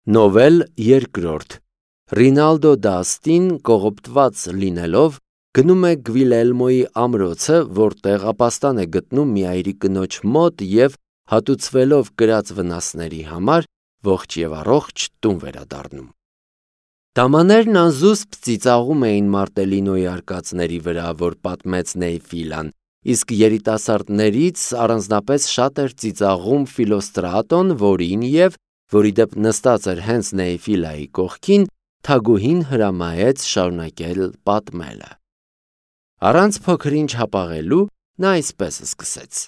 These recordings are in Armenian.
Նովել երկրորդ Ռինալդո Դաստին կողոպտված լինելով գնում է Գվիլելմոյի ամրոցը, որտեղ ապաստան է գտնում մի այրի կնոջ մոտ և հատուցվելով կրած վնասների համար ողջ և առողջ տուն վերադառնում։ Դամաներն անզուսպ ծիծաղում էին Մարտելինոյի արկածների վրա, որ պատմեց Նեյֆիլան, իսկ երիտասարդներից առանձնապես շատ էր ծիծաղում Ֆիլոստրատոն, որի դեպ նստած էր հենց Նեյֆիլայի կողքին, թագուհին հրամայեց շարունակել պատմելը։ Առանց փոքր-ինչ հապաղելու նա այսպես սկսեց.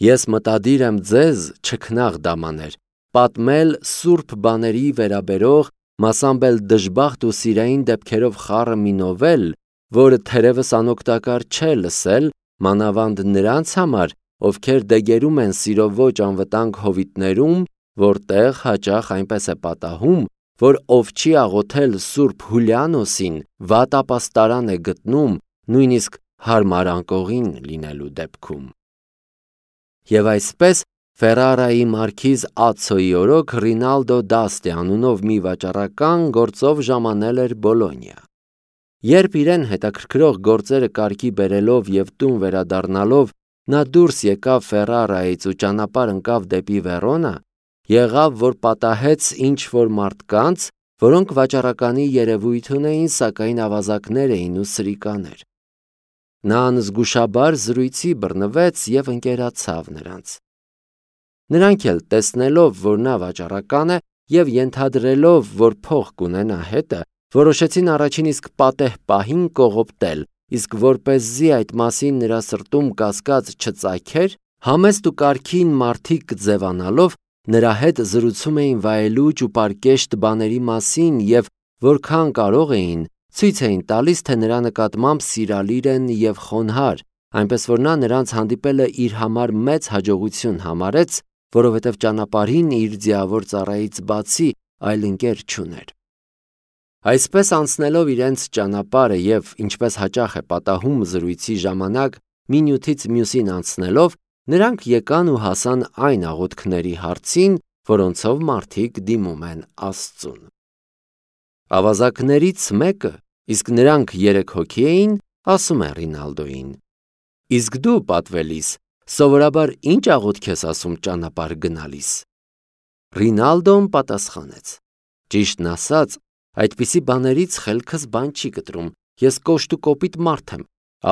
Ես մտադիր եմ ձեզ, չքնաղ դամաներ, պատմել սուրբ բաների վերաբերող, մասամբ էլ դժբախտ ու սիրային դեպքերով խառը մի նովել, որը թերևս անօգտակար չէ լսել, մանավանդ նրանց համար, ովքեր դեգերում են սիրո ոչ անվտանգ հովիտներում, որտեղ հաճախ այնպես է պատահում, որ ով չի աղոթել Սուրբ Հուլիանոսին, վատ ապաստարան է գտնում, նույնիսկ հարմար անկողին լինելու դեպքում։ Եվ այսպես Ֆերարայի մարքիզ Ացոյի օրոք Ռինալդո Դաստի անունով մի վաճառական գործով ժամանել էր Բոլոնիա։ Երբ իրեն հետաքրքրող գործերը կարգի բերելով և տուն վերադառնալով նա դուրս եկավ Ֆերարայից ու ճանապարհ ընկավ դեպի Վերոնա, եղավ, որ պատահեց ինչ-որ մարդկանց, որոնք վաճառականի երևույթ ունեին, սակայն ավազակներ էին ու սրիկաներ։ Նա անզգուշաբար զրույցի բռնվեց և ընկերացավ նրանց։ Նրանք էլ տեսնելով, որ նա վաճառական է և ենթադրելով, որ փող կունենա հետը, որոշեցին առաջին իսկ պատեհ պահին կողոպտել, իսկ որպեսզի այդ մասին նրա սրտում կասկած չծագեր, համեստ ու կարգին մարդիկ ձևանալով նրա հետ զրուցում էին վայելուչ ու պարկեշտ բաների մասին և որքան կարող էին, ցույց էին տալիս, թե նրա նկատմամբ սիրալիր են և խոնարհ, այնպես որ նա նրանց հանդիպելը իր համար մեծ հաջողություն համարեց, որովհետև ճանապարհին իր ձիավոր ծառայից բացի այլ ընկեր չուներ։ Այսպես անցնելով իրենց ճանապարհը և, ինչպես հաճախ է պատահում զրույցի ժամանակ, մի նյութից մյուսին անցնելով, նրանք եկան ու հասան այն աղոթքների հարցին, որոնցով մարդիկ դիմում են Աստծուն։ Ավազակներից մեկը, իսկ նրանք 3 հոգի էին, ասում է Ռինալդոյին. Իսկ դու, պատվելիս, սովորաբար ինչ աղոթք ես ասում ճանապարհ գնալիս։ Ռինալդոն պատասխանեց. Ճիշտն ասած, այդպիսի բաներից խելքս բան չի կտրում, ես կոշտ ու կոպիտ մարդ եմ,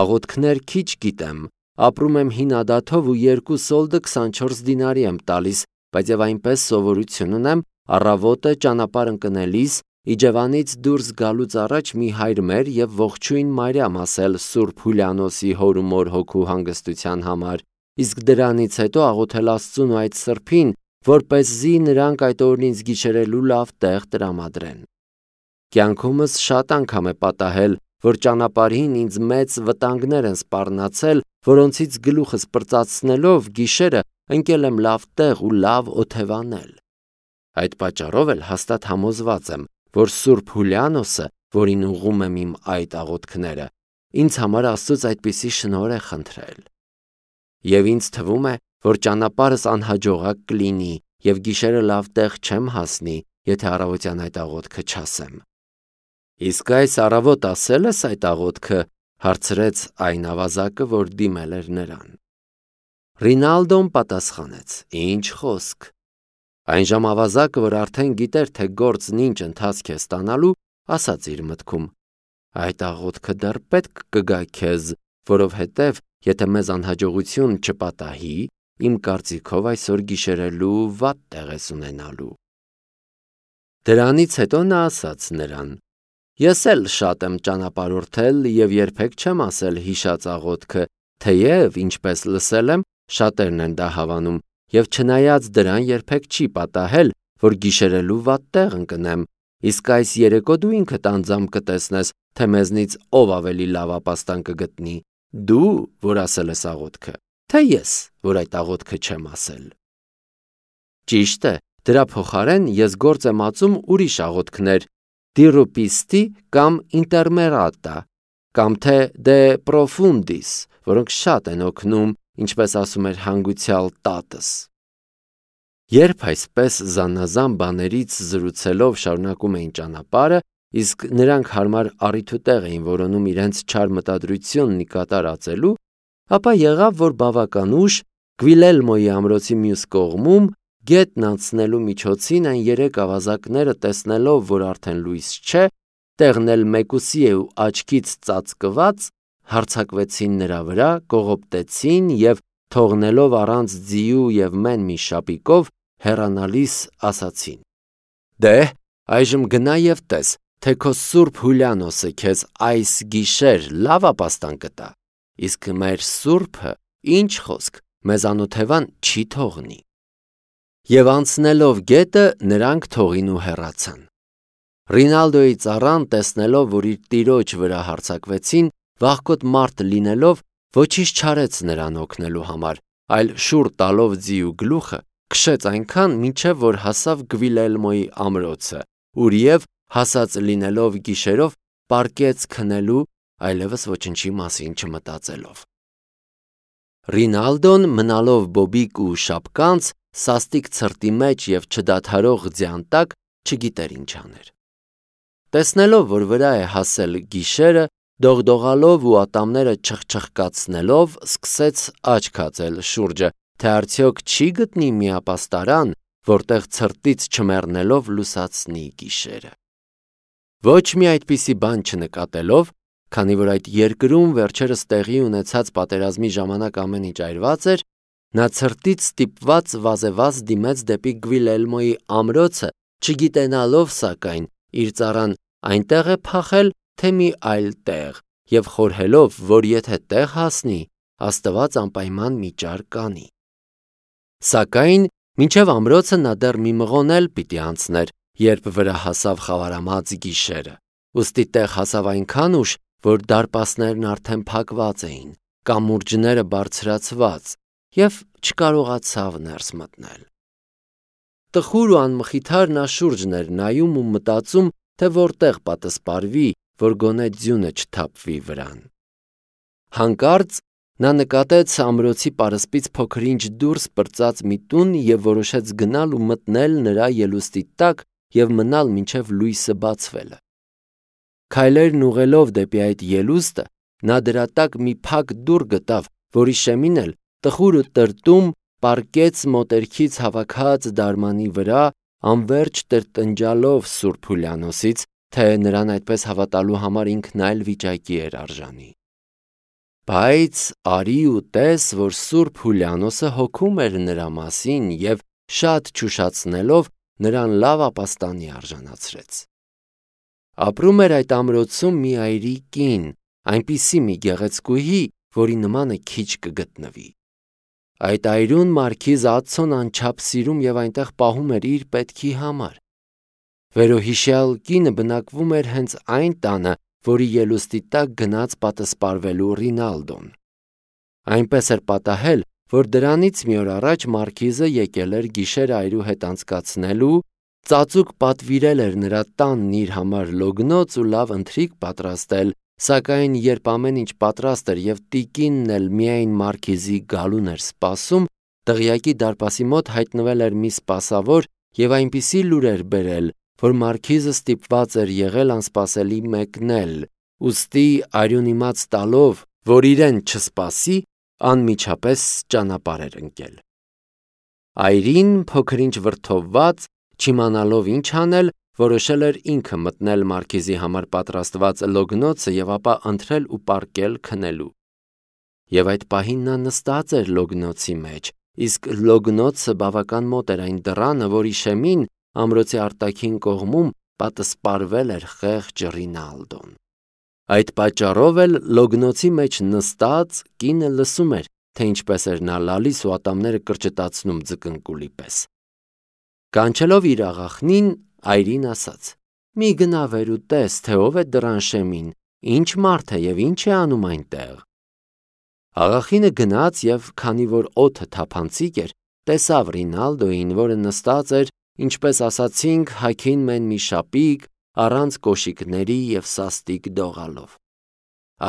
աղոթքներ քիչ գիտեմ, ապրում եմ հին ադաթով ու 2 սոլդը 24 դինարի եմ տալիս, բայց և այնպես սովորություն ունեմ առավոտը ճանապարհ ընկնելիս Իջևանից դուրս գալուց առաջ մի հայր մեր և ողջույն Մարիամ ասել Սուրբ Հուլիանոսի հոր ու մոր հոգու հանգստության համար, իսկ դրանից հետո աղոթել Աստծուն ու այդ սրբին, որպեսզի նրանք այդ օրն ինձ գիշերելու լավ տեղ տրամադրեն։ Կյանքումս շատ անգամ է պատահել, որ ճանապարհին ինձ մեծ վտանգներ են սպառնացել, որոնցից գլուխս պրծացնելով գիշերը ընկել եմ լավ տեղ ու լավ օթևանել։ Այդ պատճառով էլ հաստատ համոզված եմ, որ Սուրբ Հուլիանոսը, որին ուղղում եմ իմ այդ աղոթքները, ինձ համար Աստծուց այդպիսի շնորհ է խնդրել։ Եվ ինձ թվում է, որ ճանապարհս անհաջողակ կլինի և գիշերը լավ տեղ չեմ հասնի, եթե առավոտյան այդ աղոթքը չասեմ։ Իսկ այս առավոտ ասել ես այդ աղոթքը, հարցրեց այն ավազակը, որ դիմել էր նրան։ Ռինալդոն պատասխանեց. Ինչ խոսք։ Այնժամ ավազակը, որ արդեն գիտեր, թե գործն ինչ ընթացք է ստանալու, ասաց իր մտքում. Այդ աղոթքը դեռ պետք կգա քեզ, որովհետև եթե մեզ անհաջողություն չպատահի, իմ կարծիքով այսօր գիշերելու վատ տեղ ես ունենալու։ Դրանից հետո նա ասաց նրան. Ես էլ շատ եմ ճանապարհորդել և երբեք չեմ ասել հիշած աղոթքը, թեև, ինչպես լսել եմ, շատերն են դա հավանում, և չնայած դրան երբեք չի պատահել, որ գիշերելու վատ տեղ ընկնեմ, իսկ այս երեկո դու ինքդ անձամբ կտեսնես, թե մեզնից ով ավելի լավ ապաստան կգտնի, դու, որ ասել ես աղոթքը, թե ես, որ այդ աղոթքը չեմ ասել։ Ճիշտ է, դրա փոխարեն ես գործ եմ ածում ուրիշ աղոթքներ, դիրուպիստի կամ ինտերմերատա, կամ թե դե պրոֆունդիս, որոնք շատ են օգնում, ինչպես ասում էր հանգուցյալ տատս։ Երբ այսպես զանազան բաներից զրուցելով շարունակում էին ճանապարհը, իսկ նրանք հարմար առիթուտեղ էին որոնում իրենց չար մտադրությունն ի կատար ածելու, ապա եղավ, որ բավական ուշ Գվիլելմոյի ամրոցի մյուս կողմում գետն անցնելու միջոցին այն երեք ավազակները տեսնելով, որ արդեն լույս չէ, տեղն էլ մեկուսի է ու աչքից ծածկված, հարձակվեցին նրա վրա, կողոպտեցին և թողնելով առանց ձիու և մեն մի շապիկով հեռանալիս ասացին. «Դե, այժմ գնա և տես, թե քո Սուրբ Հուլիանոսը քեզ այս գիշեր լավ ապաստան կտա, իսկ մեր Սուրբը, ինչ խոսք, մեզանոթ Հևան չի թողնի»։ Եվ անցնելով գետը նրանք թողին ու հեռացան։ Ռինալդոյի ծառան տեսնելով, որ իր տիրոջ վրա հարձակվեցին, վախկոտ մարդ լինելով, ոչինչ չարեց նրան օգնելու համար, այլ շուռ տալով ձիու գլուխը, քշեց այնքան, մինչև որ հասավ Գվիլելմոյի ամրոցը, ուր և հասած լինելով գիշերով պառկեց քնելու, այլևս ոչնչի մասին չմտածելով։ Ռինալդոն մնալով բոբիկ ու շապկանց, սաստիկ ցրտի մեջ և չդադարող ձյան տակ, չգիտեր ինչ աներ։ Տեսնելով, որ վրա է հասել գիշերը, դողդողալով ու ատամները չխչխկացնելով, սկսեց աչք հածել շուրջը, թե արդյոք չի գտնի մի ապաստարան, որտեղ ցրտից չմեռնելով լուսացնի գիշերը։ Ոչ մի այդպիսի բան չնկատելով, քանի որ այդ երկրում վերջերս տեղի ունեցած պատերազմի ժամանակ ամեն ինչ այրված էր, նա ցրտից ստիպված վազեվազ դիմեց դեպի Գվիլելմոյի ամրոցը, չգիտենալով սակայն իր ծառան այնտեղ է փախել, թե մի այլ տեղ, և խորհելով, որ եթե տեղ հասնի, Աստված անպայման մի ճար կանի։ Սակայն մինչև ամրոցը նա դեռ մի մղոն էլ պիտի անցներ, երբ վրա հասավ խավարամած գիշերը, ուստի տեղ հասավ այնքան ուշ, որ դարպասներն արդեն փակված էին, կամուրջները բարձրացված, և չկարողացավ ներս մտնել։ Տխուր ու անմխիթար նա շուրջն էր նայում ու մտածում, թե որտեղ պատսպարվի, որ գոնե ձյունը չթափվի վրան։ Հանկարծ նա նկատեց ամրոցի պարսպից փոքր-ինչ դուրս պրծած մի տուն և որոշեց գնալ ու մտնել նրա ելուստի տակ և մնալ մինչև լույսը բացվելը։ Քայլերն ուղղելով դեպի այդ ելուստը, նա դրա տակ մի փակ դուռ գտավ, որի շեմին էլ տխուր ու տրտում պառկեց մոտերքից հավաքած դարմանի վրա, անվերջ տրտնջալով Սուրբ Հուլիանոսից, թե նրան այդպես հավատալու համար ինքն այլ վիճակի էր արժանի։ Բայց արի ու տես, որ Սուրբ Հուլիանոսը հոգում էր նրա մասին և շատ ճուշացնելով նրան լավ ապաստանի արժանացրեց։ Ապրում էր այդ ամրոցում մի այրի կին, այնպիսի մի գեղեցկուհի, որի նմանը քիչ կգտնվի։ Այդ այրուն մարքիզ Ացոն անչափ սիրում և այնտեղ պահում էր իր պետքի համար։ Վերոհիշյալ կինը բնակվում էր հենց այն տանը, որի ելուստի տակ գնաց պատսպարվելու Ռինալդոն։ Այնպես էր պատահել, որ դրանից մի օր առաջ մարքիզը եկել էր գիշերը այրու հետ անցկացնելու, ծածուկ պատվիրել էր նրա տանն իր համար լոգնոց ու լավ ընթրիք պատրաստել, սակայն երբ ամեն ինչ պատրաստ էր և տիկինն էլ միայն մարքիզի գալուն էր սպասում, դղյակի դարպասի մոտ հայտնվել էր մի սպասավոր և այնպիսի լուր էր բերել, որ մարքիզը ստիպված էր եղել անսպասելի մեկնել, ուստի արյուն իմաց տալով, որ իրեն չսպասի, անմիջապես ճանապարհ էր ընկել։ Այրին փոքր-ինչ վրդովված, չիմանալով ինչ անել, որոշել էր ինքը մտնել մարքիզի համար պատրաստված լոգնոցը և ապա ընթրել ու պառկել քնելու։ Եվ այդ պահին նա նստած էր լոգնոցի մեջ, իսկ լոգնոցը բավական մոտ էր այն դռանը, որի շեմին ամրոցի արտաքին կողմում պատսպարվել էր խեղճ Ռինալդոն։ Այդ պատճառով էլ լոգնոցի մեջ նստած կինը լսում էր, թե ինչպես էր նա լալիս ու ատամները կրճտացնում ձկնկուլի պես։ Կանչելով իր աղախնին, այրին ասաց. «Մի գնա վեր ու տես, թե ով է դռան շեմին, ինչ մարդ է և ինչ է անում այնտեղ»։ Աղախինը գնաց և քանի որ օդը թափանցիկ էր, տեսավ Ռինալդոյին, որը նստած էր, ինչպես ասացինք, հագին մեն մի շապիկ, առանց կոշիկների և սաստիկ դողալով։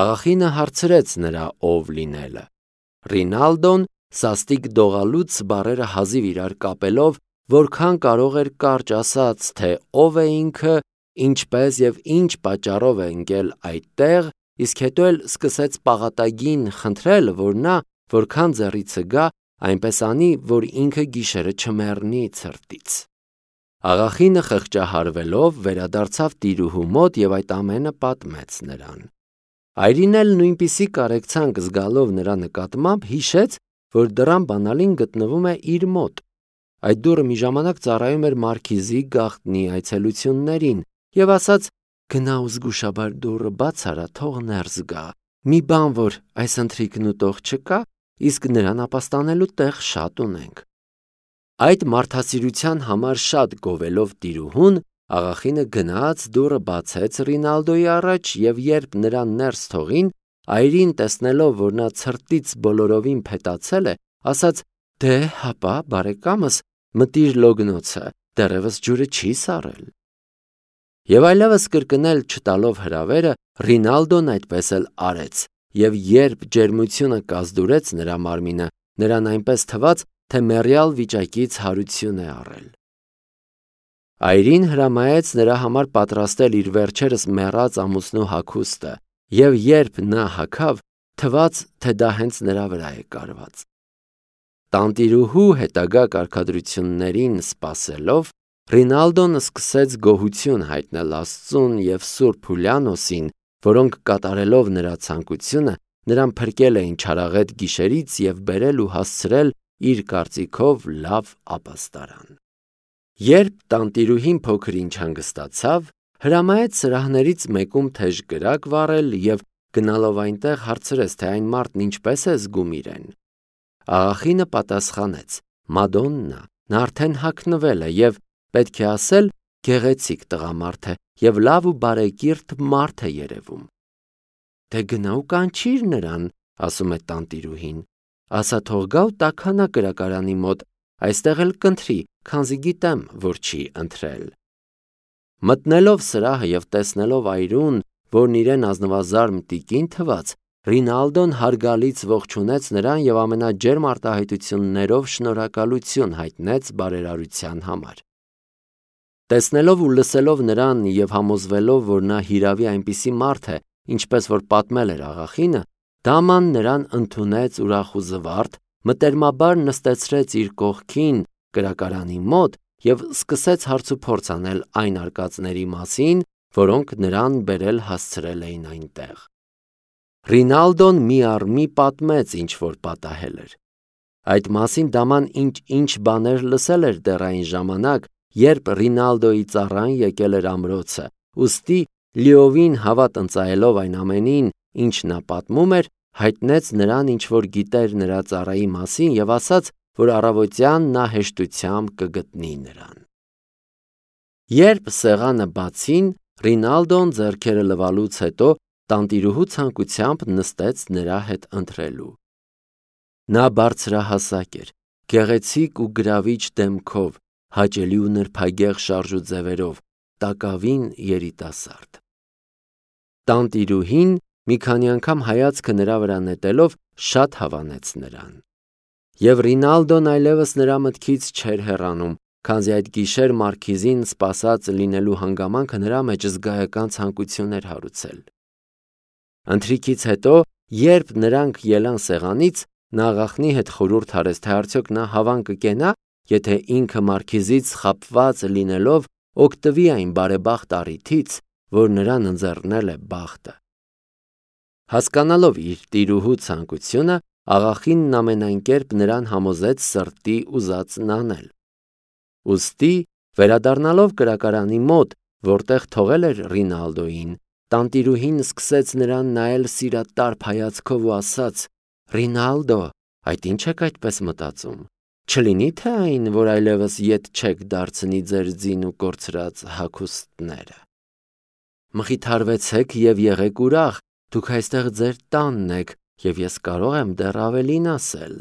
Աղախինը հարցրեց նրա ով լինելը։ Ռինալդոն, սաստիկ դողալուց բառերը հազիվ իրար կապելով, որքան կարող էր կարճ ասած, թե ով է ինքը, ինչպես եւ ինչ պատճառով է ընկել այդտեղ, իսկ հետո էլ սկսեց պաղատագին խնդրել, որ նա, որքան ձեռիցը գա, այնպես անի, որ ինքը գիշերը չմեռնի ցրտից։ Աղախինը խղճահարվելով վերադարձավ տիրուհու մոտ եւ այդ ամենը պատմեց նրան։ Այրին էլ նույնպիսի կարեկցանք զգալով նրա նկատմամբ հիշեց, որ դռան բանալին գտնվում է իր մոտ։ Այդ դուռը մի ժամանակ ծառայում էր մարքիզի գաղտնի այցելություններին եւ ասաց. «Գնա ու զգուշաբար դուռը բաց արա, թող ներս գա։ Մի բան որ այս ընթրիքն ուտող չկա, իսկ նրան ապաստանելու տեղ շատ ունենք»։ Այդ մարդասիրության համար շատ գովելով տիրուհուն, աղախինը գնաց դուռը բացեց Ռինալդոյի առաջ եւ երբ նրան ներս թողին, այրին տեսնելով, որ նա ցրտից բոլորովին փետացել է, ասաց. «Դե հապա, բարեկամս, մտիր լոգնոցը, դեռևս ջուրը չի սառել»։ Եվ այլևս կրկնել չտալով հրավերը, Ռինալդոն այդպես էլ արեց, եւ երբ ջերմությունը կազդուրեց նրա մարմինը, նրան այնպես թվաց, թե մեռյալ վիճակից հարություն է առել։ Այրին հրամայեց նրա համար պատրաստել իր վերջերս մեռած ամուսնու հագուստը, եւ երբ նա հագավ, թվաց, թե դա հենց նրա վրա է կարված։ Տանտիրուհու հետագա կարգադրություններին սպասելով, Ռինալդոն սկսեց գոհություն հայտնել Աստծուն եւ Սուրբ Հուլիանոսին, որոնք կատարելով նրա ցանկությունը, նրան փրկել էին չարաղետ գիշերից եւ բերել ու հասցրել իր կարծիքով լավ ապաստարան։ Երբ տանտիրուհին փոքր ինչ հանգստացավ, հրամայեց սրահներից մեկում թեժ կրակ վառել եւ գնալով այնտեղ հարցրեց, թե այն մարդն ինչպես է զգում իրեն։ Աղախինը պատասխանեց. «Մադոննա, նա արդեն հագնվել է եւ պետք է ասել գեղեցիկ տղամարդ է եւ լավ ու բարեկիրթ մարդ է երևում»։ «Դե գնա ու կանչիր նրան», ասում է տանտիրուհին, «ասա թող գա ու տաքանա կրակարանի մոտ, այստեղ էլ կընտրի, քանզի գիտեմ, որ չի ընտրել»։ Մտնելով սրահը եւ տեսնելով այրուն, որն իրեն ազնվազարմ տիկին թվաց, Ռինալդոն հարգալից ողջունեց նրան եւ ամենաջերմ արտահայտություններով շնորհակալություն հայտնեց բարերարության համար։ Տեսնելով ու լսելով նրան եւ համոզվելով, որ նա հիրավի այնպիսի մարդ է, ինչպես որ պատմել էր աղախինը, դաման նրան ընդունեց ուրախ ու զվարթ, մտերմաբար նստեցրեց իր կողքին կրակարանի մոտ եւ սկսեց հարցուփորձ անել այն արկածների մասին, որոնք նրան բերել հասցրել էին այնտեղ։ Ռինալդոն մի առ մի պատմեց, ինչ որ պատահել էր։ Այդ մասին դաման ինչ բաներ լսել էր դեռ այն ժամանակ, երբ Ռինալդոյի ծառան եկել էր ամրոցը, ուստի լիովին հավատ ընծայելով այն ամենին, ինչ նա պատմում էր, հայտնեց նրան, ինչ որ գիտեր նրա ծառայի մասին եւ ասաց, որ առավոտյան նա հեշտությամբ կգտնի նրան։ Երբ սեղանը բացին, Ռինալդոն ձեռքերը լվալուց հետո տանտիրուհու ցանկությամբ նստեց նրա հետ ընթրելու։ Նա բարձրահասակ էր, գեղեցիկ ու գրավիչ դեմքով, հաճելի ու նրբագեղ շարժ ու ձևերով, տակավին երիտասարդ։ Տանտիրուհին մի քանի անգամ հայացքը նրա վրա նետելով շատ հավանեց նրան։ Եվ Ռինալդոն այլևս նրա մտքից չէր հեռանում, քանզի այդ գիշեր մարքիզին սպասած լինելու հանգամանքը նրա մեջ զգայական ցանկություն էր հարուցել։ Ընթրիքից հետո, երբ նրանք ելան սեղանից, նա աղախնի հետ խորհուրդ արեց, թե արդյոք նա հավան կկենա, եթե ինքը մարքիզից խաբված լինելով օգտվի այն բարեբախտ առիթից, որ նրան ընձեռնել է բախտը։ Հասկանալով իր տիրուհու ցանկությունը, աղախինն ամենայն կերպ նրան համոզեց սրտի ուզածն անել։ Ուստի, վերադառնալով կրակարանի մոտ, որտեղ թողել էր Ռինալդոյին, տանտիրուհին սկսեց նրան նայել սիրատարփ հայացքով ու ասաց. «Ռինալդո, այդ ինչ եք այդպես մտածում։ Չլինի թե այն, որ այլևս ետ չեք դարձնի ձեր ձին ու կորցրած հագուստները։ Մխիթարվեցեք եւ եղեք ուրախ, դուք այստեղ ձեր տանն եք եւ ես կարող եմ դեռ ավելին ասել։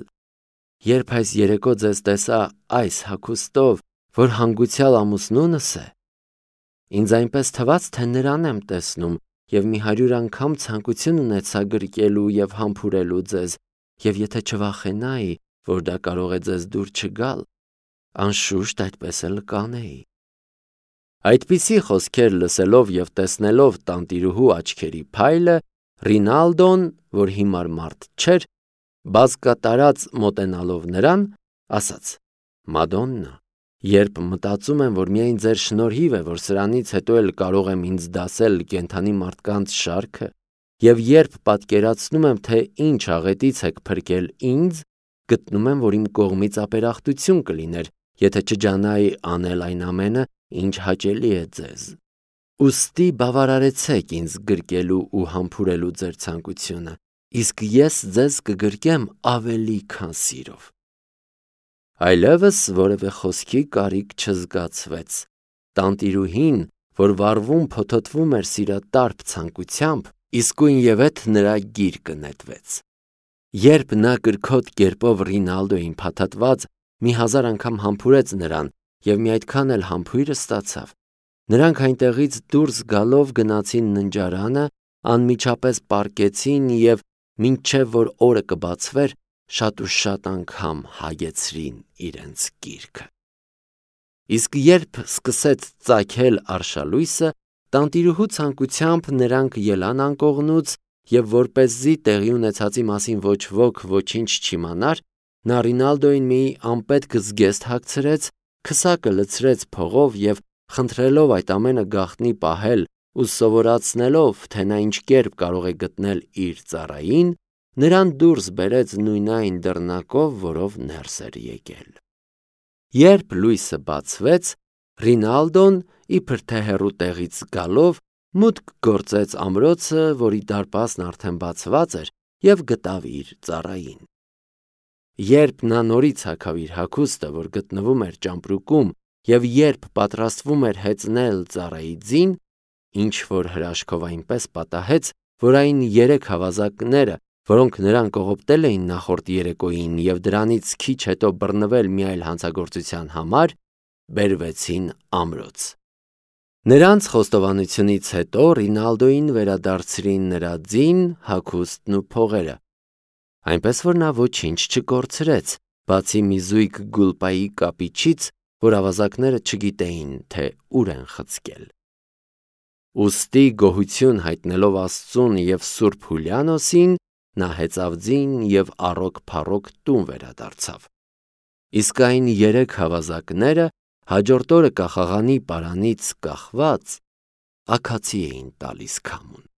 Երբ այս երեկո ձեզ տեսա այս հագուստով, որ հանգուցյալ ամուսնունս է, ինձ այնպես թվաց, թե նրան եմ տեսնում եւ մի 100 անգամ ցանկություն ունեցա գրկելու եւ համբուրելու ձեզ, եւ եթե չվախենայի, որ դա կարող է ձեզ դուր չգալ, Անշուշտ այդպես էլ կանեի։ Այդպիսի խոսքեր լսելով և տեսնելով տանտիրուհու աչքերի փայլը, Ռինալդոն, որ հիմար մարդ չէր, բազկատարած մոտենալով նրան, ասաց. «Մադոննա, երբ մտածում եմ, որ միայն ձեր շնորհիվ է, որ սրանից հետո էլ կարող եմ ինձ դասել կենդանի մարդկանց շարքը, և երբ պատկերացնում եմ, թե ինչ աղետից եք փրկել ինձ, գտնում եմ, որ իմ կողմից ապերախտություն կլիներ, եթե չջանայի անել այն ամենը, ինչ հաճելի է ձեզ։ Ուստի բավարարեցեք ինձ գրկելու ու համբուրելու ձեր ցանկությունը, իսկ ես ձեզ կգրկեմ ավելի քան սիրով»։ Այլևս որևէ խոսքի կարիք չզգացվեց։ Տանտիրուհին, որ վառվում փոթոթվում էր սիրատարփ ցանկությամբ, իսկույնևեթ նրա գիրկը նետվեց։ Երբ նա կրքոտ կերպով Ռինալդոյին փաթաթված մի հազար անգամ համբուրեց նրան և մի այդքան էլ համբույրը ստացավ, նրանք այնտեղից դուրս գալով գնացին ննջարանը, անմիջապես պառկեցին և մինչև որ օրը կբացվեր, շատ ու շատ անգամ հագեցրին իրենց գիրքը։ Իսկ երբ սկսեց ծագել արշալույսը, տանտիրուհու ցանկությամբ նրանք ելան անկողնուց և որպեսզի տեղի ունեցածի մասին ոչ ոք ոչինչ չիմանար, նա Ռինալդոյին մի անպետք զգեստ հագցրեց, քսակը լցրեց փողով և խնդրելով այդ ամենը գաղտնի պահել ու սովորացնելով, թե նա ինչ կերպ կարող է գտնել իր ծառային, նրան դուրս բերեց նույնայն դռնակով, որով ներս էր եկել։ Երբ լույսը բացվեց, Ռինալդոն, իբր թե հեռու տեղից գալով, մուտք գործեց ամրոցը, որի դարպասն արդեն բացված էր, և գտավ իր ծառային։ Երբ նա նորից հագավ իր հագուստը, որ գտնվում էր ճամպրուկում, և երբ պատրաստվում էր հեծնել ծառայի ձին, ինչ-որ հրաշքով այնպես պատահեց, որ այն 3 հավազակները, որոնք նրան կողոպտել էին նախորդ երեկոյին և դրանից քիչ հետո բռնվել մի այլ հանցագործության համար, բերվեցին ամրոց։ Նրանց խոստովանությունից հետո Ռինալդոյին վերադարձրին նրա ձին, հագուստն ու փողերը, այնպես որ նա ոչինչ չկորցրեց, բացի մի զույգ գուլպայի կապիչից, որ ավազակները չգիտեին, թե ուր են խցկել։ Ուստի գոհություն հայտնելով Աստծուն և Սուրբ Հուլիանոսին, նա հեծավ ձին և առոք-փառոք տուն վերադարձավ։ Իսկ այն 3 հավազակները հաջորդ օրը կախաղանի պարանից կախված աքացի էին տալիս քամուն։